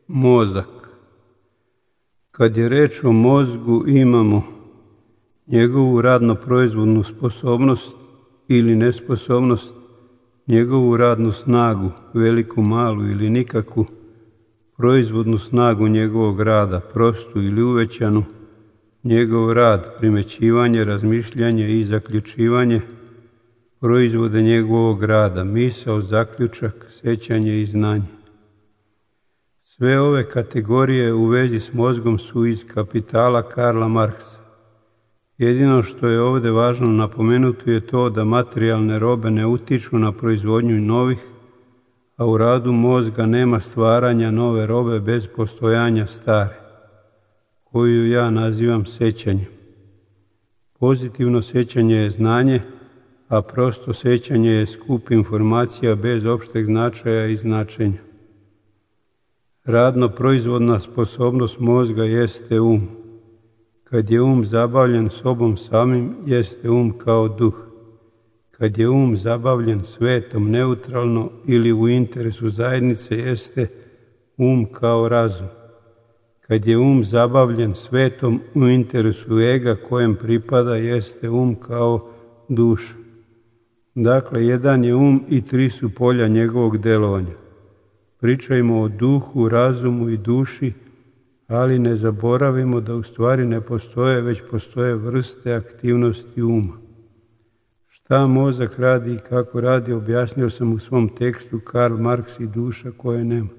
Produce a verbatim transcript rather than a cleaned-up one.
Mozak. Kad je reč o mozgu, imamo njegovu radno-proizvodnu sposobnost ili nesposobnost, njegovu radnu snagu, veliku, malu ili nikakvu, proizvodnu snagu njegovog rada, prostu ili uvećanu, njegov rad, primećivanje, razmišljanje i zaključivanje, proizvode njegovog rada, misao, zaključak, sećanje i znanje. Sve ove kategorije u vezi s mozgom su iz Kapitala Karla Marksa. Jedino što je ovdje važno napomenuti je to da materijalne robe ne utiču na proizvodnju novih, a u radu mozga nema stvaranja nove robe bez postojanja stare, koju ja nazivam sećanjem. Pozitivno sećanje je znanje, a prosto sećanje je skup informacija bez opšteg značaja i značenja. Radno-proizvodna sposobnost mozga jeste um. Kad je um zabavljen sobom samim, jeste um kao duh. Kad je um zabavljen svetom neutralno ili u interesu zajednice, jeste um kao razum. Kad je um zabavljen svetom u interesu ega kojem pripada, jeste um kao duša. Dakle, jedan je um i tri su polja njegovog delovanja. Pričajmo o duhu, razumu i duši, ali ne zaboravimo da u stvari ne postoje, već postoje vrste aktivnosti uma. Šta mozak radi i kako radi, objasnio sam u svom tekstu Karl Marx i duša koje nema.